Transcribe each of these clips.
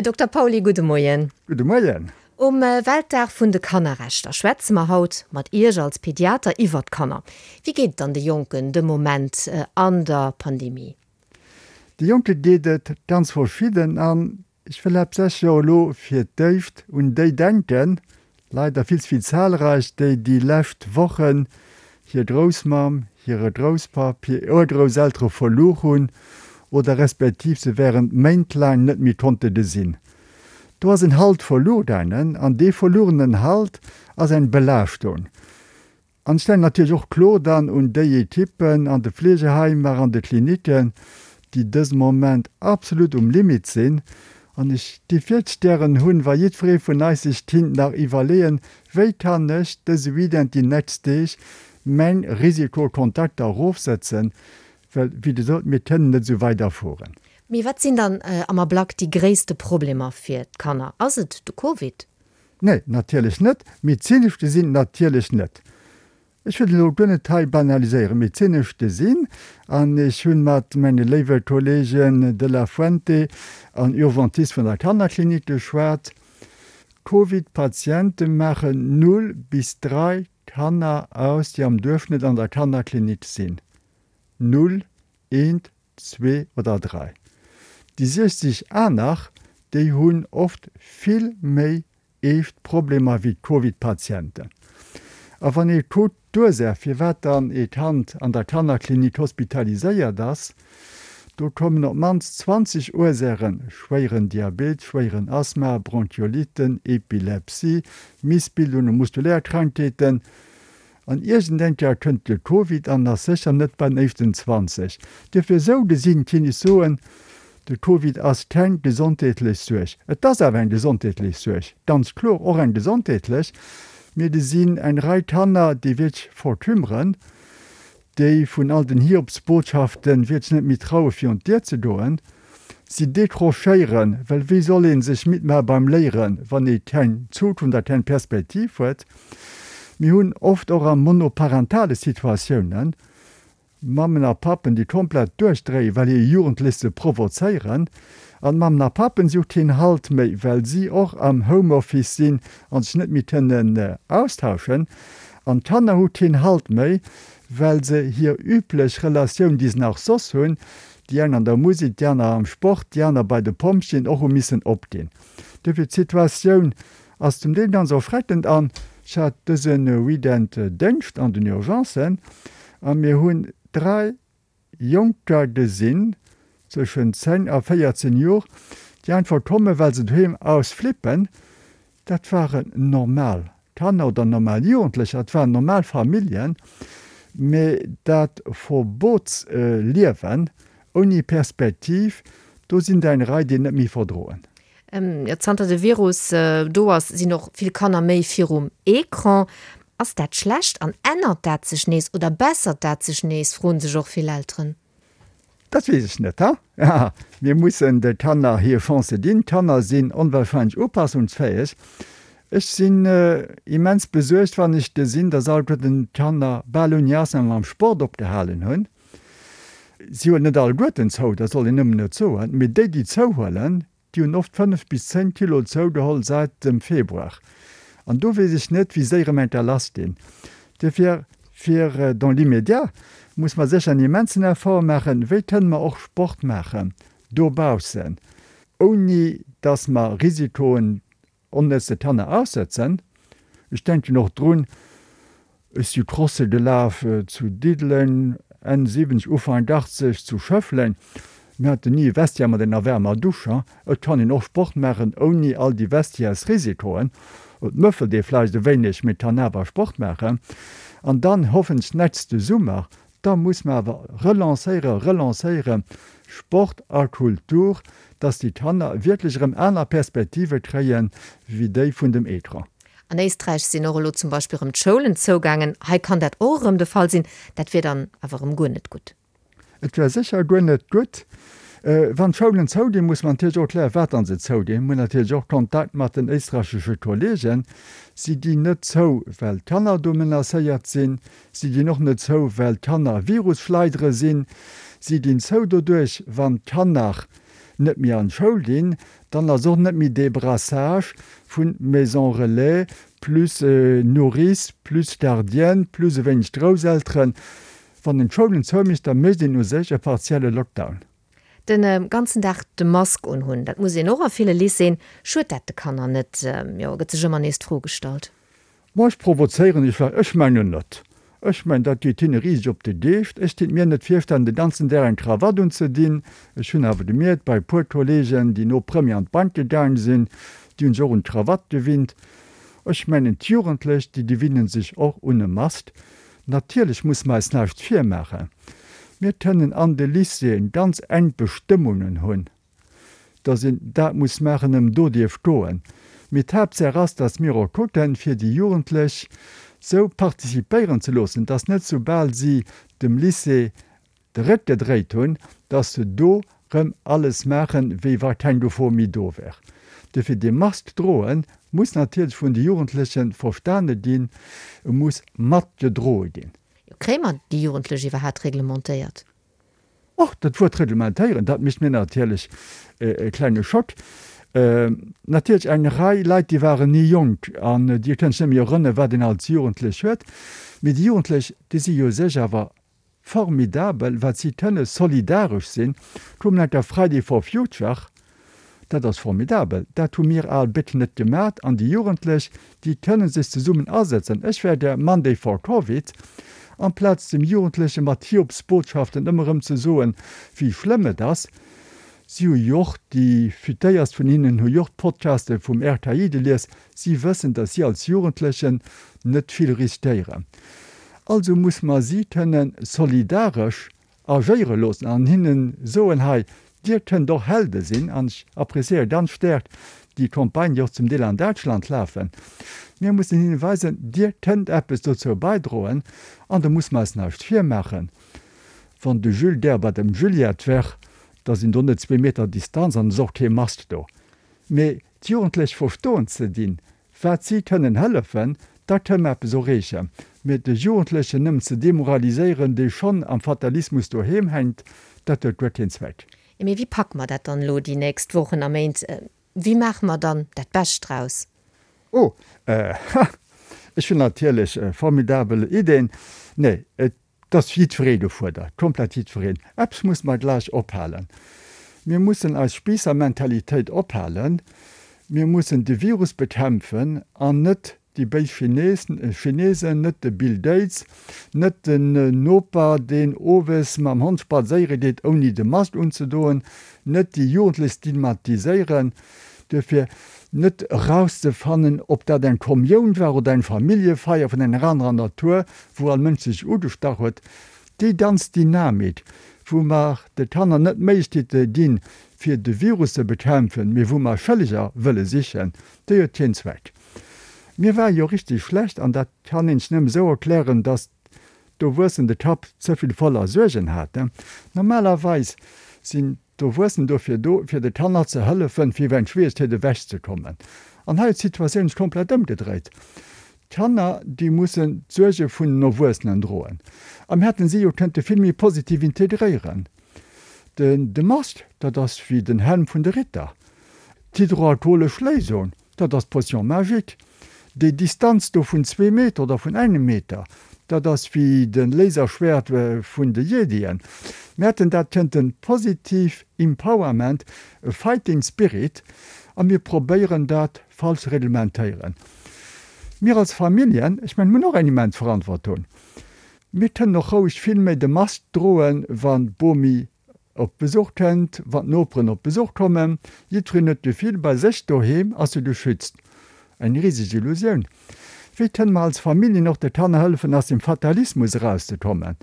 Dokter Pauly, gudde Moien. Gudde Moien. Um Weltdag vun de Kannerrechter schwätze mer haut mat Iech als Pediater iwwert d'Kanner. Wéi geet et dann de Jonken de Moment an der Pandemie? De Jonke geet et ganz verschidden an ech wëll haaptsächlech och elo fir d'éischt un déi denken, leider vill ze vill zahlreich, déi déi lescht Wochen hir Groussmamm, hire Grousspapp, hir Urgrousseltere verluer hunn oder respektiv se während Méint laang net méi konnte gesinn. Do ass en Halt verluer gaangen an dee verluerenen Halt ass eng Belaaschtung. An ech denken natierlech och kloer dann un déi Ekippen an de Fleegeheimer, an de Klinicken, déi dëse Moment absolut um Limit sinn. An ech géif wierklech gären hunn, wa jiddweree vun eis sech kinnt nach iwwerleeën, Wéi kann ech dëse Weekend, déi nächst Deeg meng Risikokontakter erofsetzen? Well, wéi gesot, mir kënnen net esou weiderfueren. Mee wat sinn dann am Ablack déi gréisste Problemer fir d'Kanner? Ass et de Covid? Nee, natierlech net. Medezinesch gesinn natierlech net. Ech wëll elo guer net hei banaliséieren. Medezinesch gesinn, an ech hu mat menge léiwe Kollegen de la Fuente an Urgentiste vun der Kannerklinik geschwat, Covid-Patiente maachen null bis 3 Kanner aus, déi am Duerchschnëtt an der Kannerklinik sinn. Null, eent, zwee oder dräi. Déi 60 aner, déi hunn oft vill méi eescht Problemer wéi d'Covid-Patienten. A wann ee kuckt d'Ursaach, firwat dann ee Kand an der Kannerklinik hospitaliséiert ass, do kommen op d'mannst 20 Ursaachen, schwéieren Diabet, schwéieren Asthma, Bronchiolitten, Epilepsie, Missbildungen, muskulär Krankheeten, An iergendeng Kéier kënnt de Covid an ass sécher net bei den éischten 20. Duerfir esou gesinn kinn ech soen, de Covid ass keng gesondheetlech Suerg. Et ass awer eng gesondheetlech Suerg, ganz kloer och eng gesondheetlech. Mir gesinn eng Rei Kanner, déi wierklech verkümmeren, déi vun all den Hiobsbotschaften wierklech net méi traue virun d'Dier ze goen. Si décrochéieren, well wéi soll ee sech midd maache beim Léieren, wann ee keng Zukunft a keng Perspektiv huet? Mir hunn oft och a monoparentale Situatiounen Mammen a Pappen, déi komplett duerchdréien, well hir Jugendlech se provozéieren. An d'Mammen a Pappen, si hu keen Halt méi, well si och am Homeoffice sinn a sech net méi kënnen austauschen. An d'Kanner hu keen Halt méi, well se hir üblech Relatioun, déi se nach soss hunn, déi eng an der Musek, déi aner am Sport, déi aner bei de Pompjeeën, och hu missen opginn. Duerfir, d'Situatioun ass zum Deel ganz erschreckend an ech hat dëse Weekend Déngscht an den Urgencen a mir hunn 3 Jonker gesinn zwëschen 10 a 14 Jor, déi einfach kommen, well se doheem ausflippen. Dat waren normal Kanner oder normal Jugendlecher, dat waren normal Familljen, mee dat Verbotsliewen ouni Perspektiv, do sinn der eng Rei, déi et net méi verdroen. Jo, zanter de Virus do ass, sinn och vill Kanner méi virum Ecran. Ass dat schlecht an ännert dat sech nees oder bessert dat sech nees, froen sech och vill Elteren. Dat weess ech net. Ha, mir mussen de Kanner hir Chance ginn. D'Kanner sinn onwahrscheinlech upassungsfäeg. Ech sinn immens besuergt, wann ech gesinn, dass alleguerten d'Kanner bal ouni Ausnam mam Sport opgehalen hunn. Si huelen net alleguerten zou, dat soll een nëmmen net soen, mee déi, déi zouhuelen, déi hunn oft 5 bis 10 Kilo zougeholl säit dem Februar. An do weess ech net, wéi séier em enker lass ginn. Duerfir, fir dans l'immédiat muss mer sécher en immensen Effort maachen, wéi kënne mer och Sport maachen dobaussen, ouni dass mer Risikoen Onnëtze Kanner aussëtzen. Ech denken och drun, ech si Crosse gelaf zu Diddeleng, Enn 70, Ufank 80 zu Schëffleng. Mir haten ni e Vestiaire mat enger waarmer Dusch. Et kann een och Sport maachen ouni all déi Vestiairesrisikoen. Et mëffelt ee vläicht e wéineg, mee kann awer Sport maachen. An dann hoffentlech nächste Summer Da muss mer awer relancéieren, relancéieren, Sport a Kultur, dass déi Kanner wierklech erëm aner Perspektive kréie wéi déi vun dem Ecran. An Éisträich sinn och elo zum Beispill erëm d'Schoulen zougaangen. Hei kann dat och erëm de Fall sinn. Dat wier dann awer erëm guer net gutt. Et wär sécher guer net gutt. Wann d'Schoulen zouginn, muss mer natierlech och klären, wat dann se zouginn. Mir hunn natierlech och Kontakt mat den éisträichesche Kollegen. Si ginn net zou, well d'Kanner do menacéiert sinn. Si ginn och net zou, well d'Kanner Virusschleidere sinn. Si ginn zou doduerch, wann d'Kanner. net méi an d'Schoul ginn, dann ass och net méi dee Brassage vu Maison relais plus Nourrice plus Gardienne plus e wéineg Grousselteren. Wann een d'Schoulen zoumécht, da mécht een u sech e partielle Lockdown. De ganzen Dag de Mask unhunn, dat muss een och a ville Lycéeën. Schued dat de Kanner net? Jo, gëtt sech ëmmer nees d'Fro gestallt. Ma ech provozéieren iech vläicht, ech mengen net. Ech mengen, dat geet hinne riseg op de Geescht. Ech kinnt mir net virstellen, de ganzen Dag eng Krawatt unzedinn. Ech hunn awer gemierkt, bei e puer Kollegen, déi no Première an d'Bank gaang sinn, déi hunn sech och un d'Krawatt gewinnt. Ech mengen, d'Jugendlech, déi gewinne sech och un e Mask. Natierlech musse mer eis näischt virmaachen. Mir kënnen an de Lycéeën ganz enk Bestëmmungen hunn, dass een dat muss maachen, ëm do dierf goen. Mee d'Haaptsaach ass, dass mir och kucken, fir déi Jugendlech sou participéieren ze loossen, dass net soubal si dem Lycée de Réck gedréit hunn, dass se do rëm alles maachen, wéi wa keng Gefor méi do wär. Dofir, dee Mask droe muss natierlech vun de Jugendleche verstane ginn, e muss matgedroe ginn. Jo, kréie mer déi Jugendlech iwwerhaat reglementéiert? Och dat Wuert reglementéieren, dat mécht mir natierlech e klenge Schock. Natierlech eng Rei Leit, déi waren ni jonk an déi kënnen sech net méi erënneren, wat een als Jugendlech huet. Mee déi Jugendlech, déi si jo u sech awer Formidabel wat si kënne solidaresch sinn. Kuck mol enker Friday for Future, dat ass formidabel. Dat hu mir al Béck net gemat an déi Jugendlech, déi kënne sech zesummen asetzen. Ech wär gär Monday for Covid, amplaz dem Jugendleche mat Hiobsbotschaften ëmmer erëm ze soen, wéi schlëmm et ass. Si hu jo och, déi Futéierst vun hinnen hu jo och d'Podcaste vum RKI gelies, si wëssen, datt si als Jugendlechen net vill riskéieren. Also muss mer si kënne solidaresch agéiere loossen an hinne soen, hei, Dir kënnt och Helde sinn. An ech appréciéiere ganz staark déi Campagnen, déi och zum Deel an Däitschland lafen. Mir mussen hinne weisen, Dir kënnt eppes dozou baidroen. An do muss mer eis näischt virmaachen. Wann de Jules gär bei dem Juliette wär, da sinn do net zwee Meter Distanz an et ass och kee Mask do. Mee d'Jugendlech verstoen ze dinn, wat si kënnen hëllefen, da kënne mer eppes erreechen. Mee de Jugendlechen nëmmen ze demoraliséieren, dee schonn am Fatalismus doheem hänkt, dat huet guer keen Zweck. Mee wéi packe mer dat dann elo déi nächst Wochen a Méint? Wéi maache mer dann dat Bescht draus? Oh, ha, ech hunn natierlech formidabel Ideen. Nee, et ass jiddweree gefuerdert, komplett jiddwereen. Eppes musse mer gläich ophalen, Mir mussen eis Spiissermentalitéit ophalen. Mir mussen de Virus bekämpfen an net déi béis Chinesen, net de Bill Gates, net den Noper, deen owes mam Hond spadséiere geet, ouni de Mask unzedoen, net déi Jugendlech stigmatiséieren. Duerfir net erauszefannen, ob dat eng Kommioun war oder eng Familljefeier vun enger anerer Natur, wou all Mënsch sech ugestach huet. Déi ganz Dynamik, wou mer de Kanner net d'Méiglechkeete ginn, fir de Virus ze bekämpfen, mee wou mer Schëlleger wëlle sichen, déi huet keen Zweck. Mir ware jo richteg schlecht, an dat kann een sech nëmme esou erklären, datt d'Erwuessen de Kapp ze vill voller Suergen haten. Normalerweis sinn d'Erwuessen dofir do, fir de Kanner ze hëllefen, fir iwwer eng Schwieregkeet ewechzekommen. An hei huet d'Situatioun sech komplett ëmgedréit. D'Kanner, déi mussen d'Suerge vun den Erwuessenen droen. A mir hätten si jo kënnte vill méi positiv integréieren. Den de Mask, dat ass wéi den Helm vun de Ritter. D'hydroalkoholesch Léisung, dat ass d'Potion magique. Déi Distanz do vun zwee Meter oder vun engem Meter, dat ass wéi de Laserschwert vun de Jedien. Mir hätten dat kënnten positiv Empowerment, e Fighting Spirit, a mir probéieren dat falsch reglementéieren. Mir als Familljen, ech mengen, mir hunn och eng immens Verantwortung. Mir kënnen och roueg vill méi de Mask droen, wann d'Bomi op Besuch kënnt, wann d'Noperen op Besuch kommen. Jiddwereen huet d'Gefill, bei sech doheem ass e geschützt. Eng riseg Illusioun. Wéi kënne mer als Familljen och de Kanner hëllefen, aus dem Fatalismus erauszekommen?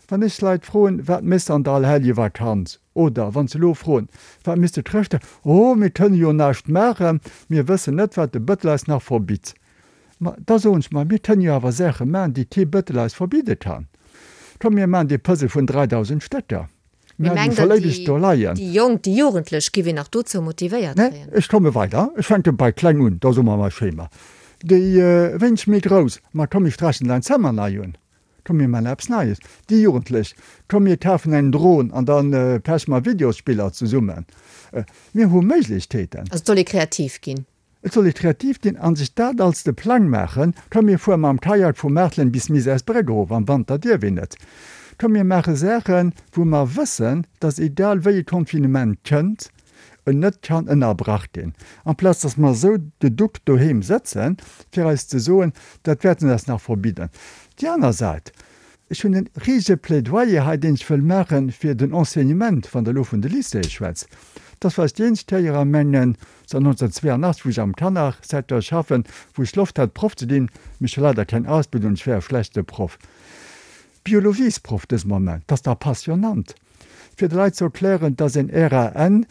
Wann ech Leit froen, Wat méchs de an der Allerheljevakanz? Oder wann se elo froen, Wat méchs de Chrëschtdag? Oh, mir kënne jo näischt maachen, mir wëssen net, wat de Bëttel eis nach verbitt. Ma da soen ech, ma mir kënnen jo awer Saache maachen, déi kee Bëttel eis verbidde kann. Komm, mir maachen dee Puzzle vun 3.000 Stécker. Mir haten e scho léiweg do leien. Déi Jonk, déi Jugendlech giff een nach dozou motivéiert kréien? Nee, ech komme weider. Ech fänke bei kleng un, da soe mer mei Schema. Déi wéineg méi grouss, ma komm, mir sträichen däin Zëmmer nei un. Komm mir maachen eppes Neies. Déi Jugendlech, Komm mir kafen eng Dron an da peche mer Videosspiller zesummen. Mir hu Méiglechkeeten. Also et soll ee kreativ ginn. Et soll ee kreativ ginn a sech dat als de Plang maachen, Komm mir fuere mam Kajak vu Maartelen bis Misärsbréck erof, am Wanter dierf een net. Komm mir maache Saachen, wou mer wëssen, dass egal wéi e Confinement kënnt, en net kann ënnerbrach ginn, amplaz dass mer esou geduckt doheem sëtzen, fir eis ze soen, dat wäerte se eis nach verbidden. Déi aner Säit, Ech hunn e risege Plädoyer hei, deen ech wëll maache fir den Enseignement, wann Der elo vun de Lycéeë schwätzt. Dat ass vläicht déi eenzeg Kéier a mengen, zanter 1982, wou ech am Kannersecteur schaffen, wou ech Loft hat, Proff ze ginn, mee ech hu leider keng Ausbildung, ech wär e schlechte Proff. Biologiesproff dëse Moment, dat ass dach passionnant, fir de Leit ze erklären, dass en RAN,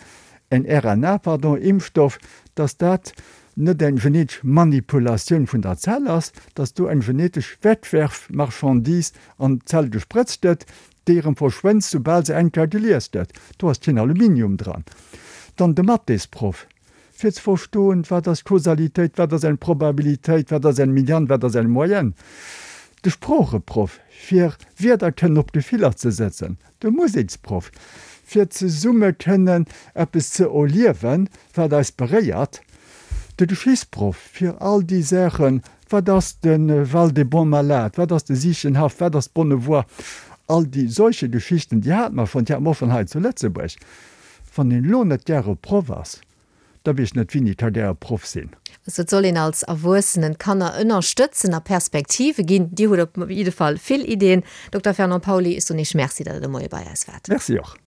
en RNA, pardon, Impfstoff, dass dat net eng genetesch Manipulatioun vun der Zell ass, dass do eng genetesch Wegwerfmarchandise an d'Zell gesprëtzt gëtt, déi erëm verschwënnt, soubal se eng Kéier gelies gëtt. Do ass keen Aluminium dran. Dann de Mathésproff, fir ze verstoen, wat ass Kausalitéit, wat ass eng Probabilitéit, wat ass eng Median, wat ass eng Moyenne. De Sproocheproff, fir Wierder kënnen op Gefiller ze sëtzen. De Museksproff, fir zesumme kënnen eppes ze erliewen, wat eis beréiert. De Geschichtsproff, fir all déi Saachen, wat ass de Val des Bons Malades, wat ass de Siechenhaff, wat ass d'Bonnevoie, all déi solche Geschichten, déi hate mer schonn, déi hate mer och schonn hei zu Lëtzebuerg. Wann een elo net gäre Proff ass, da weess ech net wien ka gäre Proff sinn. Also et soll een als Erwuessenen d'Kanner ënnerstëtzen a Perspektive ginn. Dir hutt op jidde Fall vill Iddien. Dokter Fernand Pauly, ech soen Iech Merci, datt Der de Moie bei eis waart. Merci och.